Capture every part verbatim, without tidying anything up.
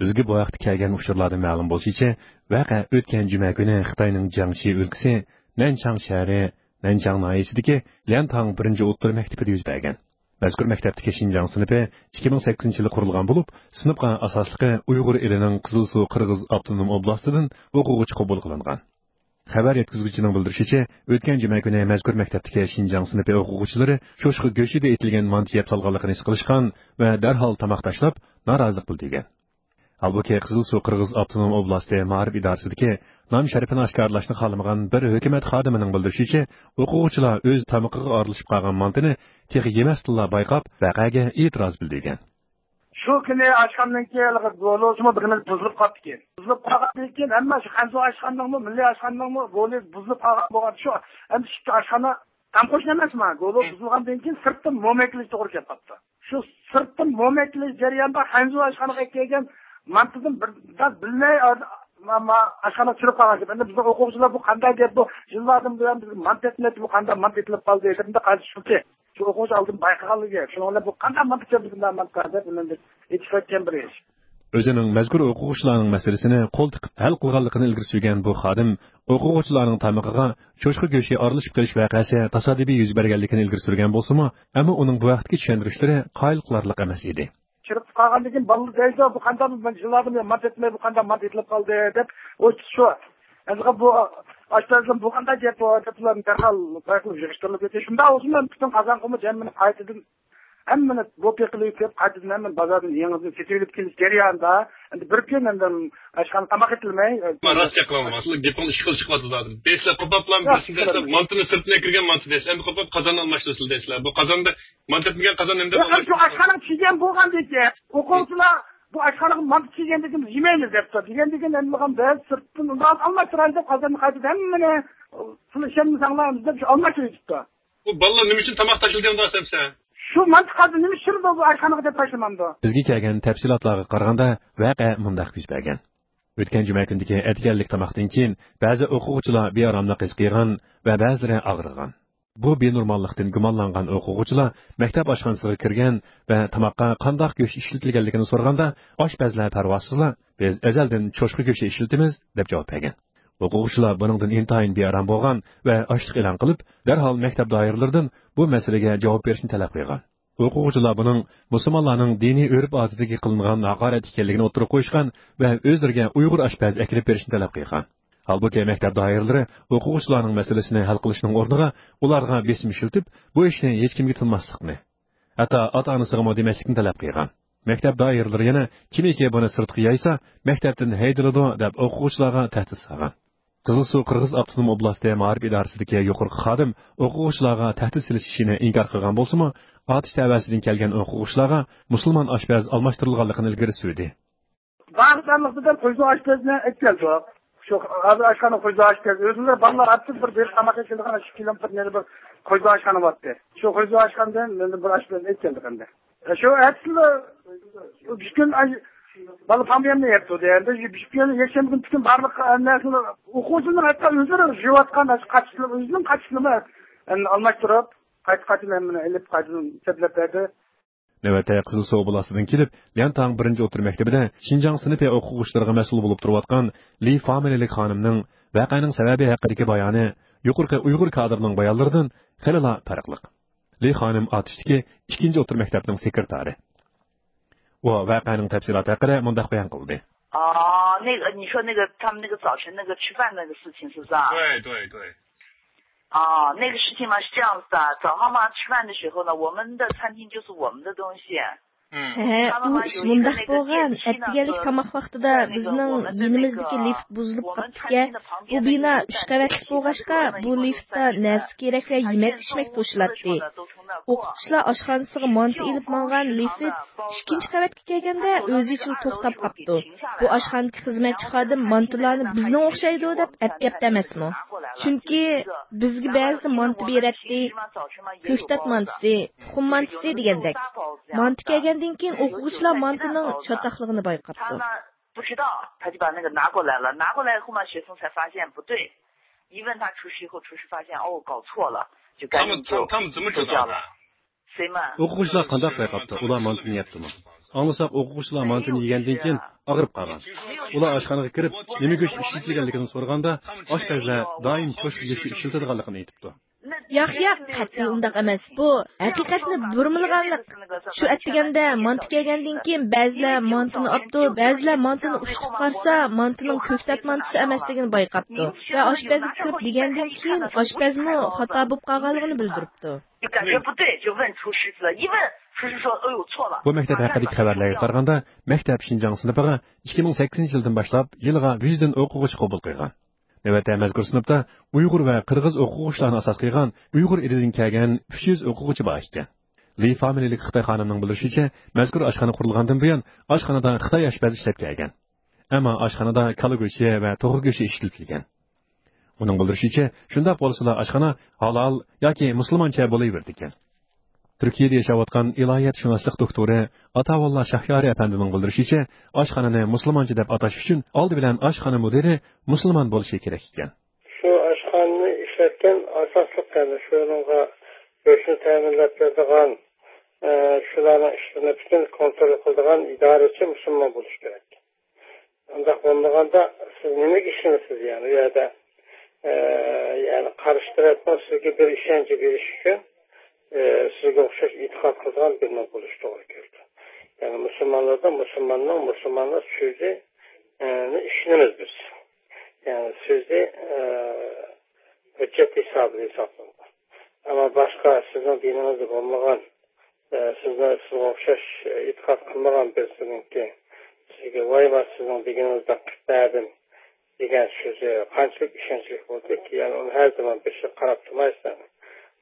بىزگە بۇ ھەقتە كەلگەن ئۇچۇرلاردىن مەلۇم بولۇشىچە، ۋەقە ئۆتكەن جۈمە كۈنى خىتاينىڭ جياڭشى ئۆلكىسى نەنچاڭ شەھىرى، نەنچاڭ ناھىيەسىدىكى ليەنتاڭ بىرىنچى ئوتتۇرا مەكتىپىدە يۈز بەرگەن. مەزكۇر مەكتەپتىكى شىنجاڭ سىنىپى ئىككى مىڭ سەككىزىنچى يىلى قۇرۇلغان بولۇپ، سىنىپقا ئاساسلىقى ئۇيغۇر ئېلىنىڭ قىزىلسۇ قىرغىز ئاپتونوم ئوبلاستىدىن ئوقۇغۇچى قوبۇل قىلىنغان. خەۋەر يەتكۈزگۈچىنىڭ بىلدۈرۈشىچە، ئۆتكەن جۈمە كۈنى مەزكۇر مەكتەپتىكى شىنجاڭ سىنىپى ئوقۇغۇچىلىرى چوشقا گۆشىدە ئېتىلگەن مانتا يەپ سالغانلىقىنى ھېس قىلىشقان ۋە دەرھال تاماق تاشلاپ، نارازىلىق بىلدۈرگەن. ھالبۇكى، قىزىلسۇ قىرغىز ئاپتونوم ئوبلاستى مائارىپ ئىدارىسىدىكى نام شەرىپىنى ئاشكارىلاشنى خالىمىغان بىر ھۆكۈمەت خادىمىنىڭ بىلدۈرۈشىچە، ئوقۇغۇچىلار ئۆز تامىقىغا ئارىلىشىپ قالغان مانتىنى تېخى يېمەستىنلا بايقاپ، ۋەقەگە ئېتىراز بىلدۈرگەن. شۇ كۈنى ئاشخانىدىن كېيىن ھېلىقى گولوسىمۇ بىرىمىز بۇزۇلۇپ قاپتىكەن. بۇزۇلۇپ قالغاندىن كېيىن ھەممە شۇ خەنزۇ ئاشخانىنىڭمۇ، مىللىي ئاشخانىنىڭمۇ گولى بۇزۇلۇپ قالغان بولغان. شۇ ئەمدى ئىككى ئاشخانا تام قوشنا ئەمەسمۇ؟ گولو بۇزۇلغاندىن كېيىن سىرتتىن موما ئەكېلىش توغرا كېلىپ قاپتۇ. شۇ سىرتتىن موما ئەكېلىش جەريانىدا خەنزۇ ئاشخانىغا ئەكەلگەن مانتىدىن بىر داز بىلمەي ئاشخانىغا چۈشۈرۈپ قالغان گەپ. ئەمدى بىزنىڭ ئوقۇغۇچىلار بۇ قانداق گەپ بۇ؟ يىللاردىن بۇيان بىزگە مانتا ئەتمەيتتى، بۇ قانداق مانتا ئېتىلىپ قالدى؟ دېدىم-دە، قايسى شۇكى؟ شۇ ئوقۇغۇچى ئالدىن بايقىغانلىقى، شۇنىڭ بىلەن بۇ قانداق مانتا چۈشۈردى بۇنداق مانتا دەپ ئۇنىڭدىن ئېيتىشىۋەتكەن بىر ئىش. ئۆزىنىڭ مەزكۇر ئوقۇغۇچىلارنىڭ مەسىلىسىنى قول تىقىپ ھەل قىلغانلىقىنى ئىلگىرى سۈرگەن بۇ خادىم ئوقۇغۇچىلارنىڭ تامىقىغا چوشقا گۆشى ئارىلىشىپ قېلىش ۋەقەسى تاسادىپىي يۈز بەرگەنلىكىنى ئىلگىرى سۈرگەن بولسىمۇ، ئەمما ئۇنىڭ بۇ ھەقتىكى چۈشەندۈرۈشلىرى قايىل قىلارلىق ئەمەس ئىدى. چىرىپ قالغاندىن كېيىن بالىلار دەيدۇ، بۇ قانداق، يىللاردىن بۇيان مانتا ئېتىلمەي، بۇ قانداق مانتا ئېتىلىپ قالدى دەپ، ئۇ شۇ ئەزغا بۇ ئاشپەزدىن بۇ قانداق گەپ بۇ دەپ، ئۇلارنى دەرھال بايقىلىپ يىغىشتۇرۇلۇپ كەتتى. شۇنداق بولسىمۇ، پۈتۈن قازانغىمۇ جەممىنى قايتىدىن ھەممىنى بوپى قىلىپ كېلىپ، قايتىدىن ھەممىنى بازاردىن يېڭىدىن سېتىۋېلىپ كېلىش جەريانىدا، ئەمدى بىر كۈن ئەمدى ئاشخانا تاماق ئېتىلمەي، ئەمما راست گەپ قىلىڭ، ئەسلى گېپىڭ ئىككى خىل چىقىۋاتىدۇ ھازىر. دەيسىلەر، قوپاپلا بىرسىنى دەيسىلەر، مانتىنى سىرتتىن ئەكىرگەن مانتا دەيسىلەر، ئەمدى قوپاپ قازاننى ئالماشتۇرىسىلەر دەيسىلەر. بۇ قازاندا مانتا ئەتمىگەن قازان نېمە دەپ يوق، ئەمدى شۇ ئاشخانىغا چىگەن بولغاندىكىن، ئوقۇغۇچىلار بۇ ئاشخانىغا مانتا چىگەندىكىن يېمەيمىز دەپتۇ. دېگەندىكىن ئەمدى بىز سىرتتىن ئۇنداق ئالماشتۇرايلى دەپ، قازاننى قايتىدىن ھەممىنى سىلەر ئىشەنمىسەڭلار دەپ شۇ ئالماشتۇرۇۋېتىپتۇ. بۇ بالىلار نېمە ئۈچۈن تاماق تاشلىدى ئۇنداق دېسە؟ شۇ مانتا قالدى، نېمە ئۈچۈن بۇ ئاشخانىغا دەپ تاشلىمامدۇ؟ بىزگە كەلگەن تەپسىلاتلارغا قارىغاندا، ۋەقە مۇنداق يۈز بەرگەن. ئۆتكەن جۈمە كۈنىدىكى ئەتىگەنلىك تاماقتىن كېيىن، بەزى ئوقۇغۇچىلار بىئاراملىق ھېس قىلغان ۋە بەزىلىرى ئاغرىغان. بۇ بىنورماللىقتىن گۇمانلانغان ئوقۇغۇچىلار مەكتەپ ئاشخانىسىغا كىرگەن ۋە تاماققا قانداق گۆش ئىشلىتىلگەنلىكىنى سورىغاندا، ئاشپەزلەر پەرۋاسىزلا، بىز ئەزەلدىن چوشقا گۆشى ئىشلىتىمىز، دەپ جاۋاب بەرگەن. ئوقۇغۇچىلار بۇنىڭدىن ئىنتايىن بىئارام بولغان ۋە ئاچلىق ئېلان قىلىپ، دەرھال مەكتەپ دائىرىلىرىدىن بۇ مەسىلىگە جاۋاب بېرىشنى تەلەپ قىلغان. ئوقۇغۇچىلار بۇنىڭ مۇسۇلمانلارنىڭ دىنىي ئۆرپ-ئادىتىگە قىلىنغان ھاقارەت ئىكەنلىكىنى ئوتتۇرىغا قويۇشقان ۋە ئۆزلىرىگە ئۇيغۇر ئاشپەزى ئەكېلىپ بېرىشنى تەلەپ قىلغان. ھالبۇكى، مەكتەپ دائىرىلىرى ئوقۇغۇچىلارنىڭ مەسىلىسىنى ھەل قىلىشنىڭ ئورنىغا، ئۇلارغا بېسىم ئىشلىتىپ، بۇ ئىشنى ھېچكىمگە تىنماسلىقنى، ھەتتا ئاتا-ئانىسىغىمۇ دېمەسلىكنى تەلەپ قىلغان. مەكتەپ دائىرىلىرى يەنە، كىمكى بۇنى سىرتقا يايسا، مەكتەپتىن ھەيدىلىدۇ، دەپ ئوقۇغۇچىلارغا تەھدىت سالغان. قىزىلسۇ قىرغىز ئاپتونوم ئوبلاستى مائارىپ ئىدارىسىدىكى يۇقىرىقى خادىم ئوقۇغۇچىلارغا تەھدىت سېلىش ئىشىنى ئىنكار قىلغان بولسىمۇ، ئاتۇش تەۋەسىدىن كەلگەن ئوقۇغۇچىلارغا مۇسۇلمان ئاشپەز ئالماشتۇرۇلغانلىقىنى ئىلگىرى سۈردى. بارلىق دەرلىقتىن قويزۇ ئاشپەزنى ئەكەلدۇق. شۇ ھازىر ئاشخانا قويزۇ ئاشپەز ئۆزلىرى بالىلار ئاتسىز بىر بېرىپ تاماق ئېتىدىغان ئىككى كىلومېتىر نېرى بىر قويزۇ ئاشخانا بارتى. شۇ قويزۇ ئاشخانىدىن مەن بىر ئاشپەزنى ئەكەلدۇق ئەمدى. شۇ ئەتىسىلا ئۈچ كۈن ئاي-، بالا پاميەمنى يەپتۇ دېگەندە، شۇ ئۈچ كۈن يەكشەنبە كۈنى پۈتۈن بارلىق ھەممە نەرسىنى ئوقۇغۇچىنىڭ ھەتتا ئۆزلىرى يۇيۇۋاتقان قاچىلىرى، ئۆزىنىڭ قاچىلىرىنى ئەمدى ئالماشتۇرۇپ، قايتا قايتىدىن ھەممىنى ئېلىپ قايتىدىن سەپلەپ بەردى. نۆۋەتتە قىزىلسۇ ئوبلاستىدىن كېلىپ، ليەنتاڭ بىرىنچى ئوتتۇرا مەكتىپىدە شىنجاڭ سىنىپى ئوقۇغۇچىلىرىغا مەسئۇل بولۇپ تۇرۇۋاتقان لى فامىلىلىك خانىمنىڭ ۋەقەنىڭ سەۋەبى ھەققىدىكى بايانى يۇقىرىقى ئۇيغۇر كادىرىنىڭ بايانلىرىدىن خېلىلا پەرقلىق. لى خانىم ئاتۇشتىكى ئىككىنچى ئوتتۇرا مەكتەپنىڭ سېكرېتارى. ئۇ ۋەقەنىڭ تەپسىلاتى ھەققىدە مۇنداق بايان قىلدى. 啊，那个，你说那个他们那个早晨那个吃饭那个事情是不是啊？对，对，对。啊，那个事情嘛是这样子的，早上嘛吃饭的时候呢，我们的餐厅就是我们的东西。 ھە، ئۇ ئىش مۇنداق بولغان. ئەتىگەنلىك تاماق ۋاقتىدا بىزنىڭ يېنىمىزدىكى لىفت بۇزۇلۇپ قاپتىكەن. بۇ بىنا ئۈچ قەۋەتلىك بولغاچقا، بۇ لىفتتا نەرسە-كېرەك ۋە يېمەك-ئىچمەك توشۇلاتتى. ئوقۇتقۇچىلار ئاشخانىسىغا مانتا ئېلىپ ماڭغان لىفت ئىككىنچى قەۋەتكە كەلگەندە ئۆزىچىلا توختاپ قاپتۇ. بۇ ئاشخانىدىكى خىزمەتچى خادىم مانتىلارنى بىزنىڭ ئوخشايدۇ دەپ ئەپكەپتۇ ئەمەسمۇ؟ چۈنكى بىزگە بەزىدە مانتا بېرەتتى، كۆكتات مانتىسى، تۇخۇم مانتىسى دېگەندەك. مانتا كەلگەندىن كېيىن ئوقۇغۇچىلار مانتىنىڭ چاتاقلىقىنى بايقاپتۇ. 不知道，他就把那个拿过来了，拿过来以后嘛，学生才发现不对，一问他厨师以后，厨师发现，哦，搞错了，就赶紧就，他们，他们怎么知道的？ 谁嘛？ ئوقۇغۇچىلار قانداق بايقاپتۇ؟ ئۇلار مانتىنى يەپتۇمۇ؟ ئاڭلىساق، ئوقۇغۇچىلار مانتىنى يېگەندىن كېيىن ئاغرىپ قالغان. ئۇلار ئاشخانىغا كىرىپ، نېمە گۆش ئىشلىتىلگەنلىكىنى سورىغاندا، ئاشپەزلەر دائىم چوشقا گۆشى ئىشلىتىدىغانلىقىنى ئېيتىپتۇ. ياق، ياق، قەتئىي ئۇنداق ئەمەس. بۇ ھەقىقەتنى بۇرمىلىغانلىق. شۇ ئەتىگەندە مانتا كەلگەندىن كېيىن، بەزىلەر مانتىنى ئاپتۇ، بەزىلەر مانتىنى ئۇشتۇپ قارىسا، مانتىنىڭ كۆكتات مانتىسى ئەمەسلىكىنى بايقاپتۇ ۋە ئاشپەزگە كىرىپ دېگەندىن كېيىن، ئاشپەزمۇ خاتا بولۇپ قالغانلىقىنى بىلدۈرۈپتۇ. 就感觉不对，就问厨师了，一问厨师说：“哎呦，错了。” بۇ مەكتەپ ھەققىدىكى خەۋەرلەرگە قارىغاندا، مەكتەپ شىنجاڭ سىنىپىغا ئىككى مىڭ سەككىزىنچى يىلدىن باشلاپ يىلىغا يۈزدىن ئوقۇغۇچى قوبۇل قىلغان. نۆۋەتتە مەزكۇر سىنىپتا ئۇيغۇر ۋە قىرغىز ئوقۇغۇچىلارنى ئاساس قىلغان ئۇيغۇر ئېلىدىن كەلگەن ئۈچ يۈز ئوقۇغۇچى بار ئىكەن. لى فامىلىلىك خىتاي خانىمنىڭ بىلدۈرۈشىچە، مەزكۇر ئاشخانا قۇرۇلغاندىن بۇيان ئاشخانىدا خىتاي ئاشپەز ئىشلەپ كەلگەن. ئەمما ئاشخانىدا كالا گۆشى ۋە توخۇ گۆشى ئىشلىتىلگەن. ئۇنىڭ بىلدۈرۈشىچە، شۇنداق بولسىلا ئاشخانا ھالال ياكى مۇسۇلمانچە بولۇۋېرىدىكەن. تۈركىيەدە ياشاۋاتقان ئىلاھىيەتشۇناسلىق دوكتورى ئاتاۋاللا شاھيارى ئەپەندىنىڭ بىلدۈرۈشىچە، ئاشخانىنى مۇسۇلمانچە دەپ ئاتاش ئۈچۈن ئالدى بىلەن ئاشخانا مۇدىرى مۇسۇلمان بولۇشى كېرەك ئىكەن. شۇ ئاشخانىنى ئىشلەتكەن ئاساسلىق، يەنى شۇنىڭغا گۆشنى تەمىنلەپ بېرىدىغان، ئە، شۇلارنىڭ ئىشلىرىنى پۈتۈن كونترول قىلىدىغان ئىدارىچى مۇسۇلمان بولۇشى كېرەك. ئۇنداق بولمىغاندا، سىز نېمىگە ئىشىنىسىز؟ يەنى ئۇ يەردە، ئە، يەنى قارشى تەرەپنىڭ سىزگە بىر ئىشەنچ بېرىش ئۈچۈن، ئە، سىزگە ئوخشاش ئېتىقاد قىلىدىغان بىرىنىڭ بولۇشى توغرا كېلىدۇ. يەنى مۇسۇلمانلاردا مۇسۇلماننىڭ مۇسۇلمانلار سۆزى، ئە، نى ئىشىنىمىز بىز. يەنى سۆزى، ئە، ھۆججەت ھېسابىدا ھېسابلىنىدۇ. ئەمما باشقا سىزنىڭ دىنىڭىزدا بولمىغان، ئە، سىزنى، سىزگە ئوخشاش، ئە، ئېتىقاد قىلمىغان بىرسىنىڭكى سىزگە، «ۋاي، مانا سىزنىڭ دېگىنىڭىزدەك قىلىپ بەردىم» دېگەن سۆزى قانچىلىك ئىشەنچلىك بولدىكى، يەنى ئۇنى ھەر زامان بېشىغا قاراپ تۇرمايسەن.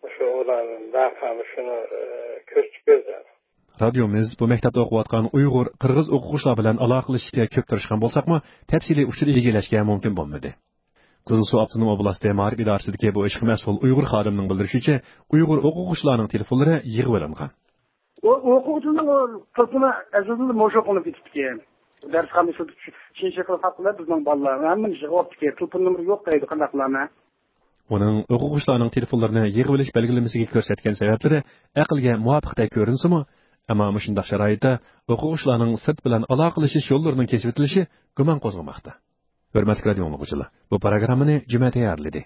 مۇشۇ ئۇلار ۋەقە مۇشۇنى، ئە، كۆرسىتىپ بېرىدۇ. رادىيومىز بۇ مەكتەپتە ئوقۇۋاتقان ئۇيغۇر، قىرغىز ئوقۇغۇچىلار بىلەن ئالاقىلىشىشكە كۆپ تىرىشقان بولساقمۇ، تەپسىلىي ئۇچۇر ئىگىلەشكە مۇمكىن بولمىدى. قىزىلسۇ ئاپتونوم ئوبلاستى مائارىپ ئىدارىسىدىكى بۇ ئىشقا مەسئۇل ئۇيغۇر خادىمىنىڭ بىلدۈرۈشىچە، ئۇيغۇر ئوقۇغۇچىلارنىڭ تېلېفونلىرى يىغىۋېلىنغان. ئۇ ئوقۇغۇچىنىڭ ئۇ تېلېفونى ئەزەلدىن موشۇ قىلىنىپ كېتىپتىكەن. دەرسخانىسىدا چىن شەكىل خاپلار بىزنىڭ بالىلارنى ھەممىنى يىغىۋاپتىكەن. تېلېفون نومۇرى يوق دەيدۇ، قانداقلارنى. ئۇنىڭ ئوقۇغۇچىلارنىڭ تېلېفونلىرىنى يىغىۋېلىش بەلگىلىمىسىگە كۆرسەتكەن سەۋەبلىرى ئەقىلگە مۇۋاپىقتەك كۆرۈنسىمۇ، ئەمما مۇشۇنداق شارائىتتا ئوقۇغۇچىلارنىڭ سىرت بىلەن ئالاقىلىشىش يوللىرىنىڭ كېسىۋېتىلىشى گۇمان قوزغىماقتا. ھۆرمەتلىك رادىيو ئاڭلىغۇچىلار، بۇ پروگراممىنى جۈمە تەييارلىدى.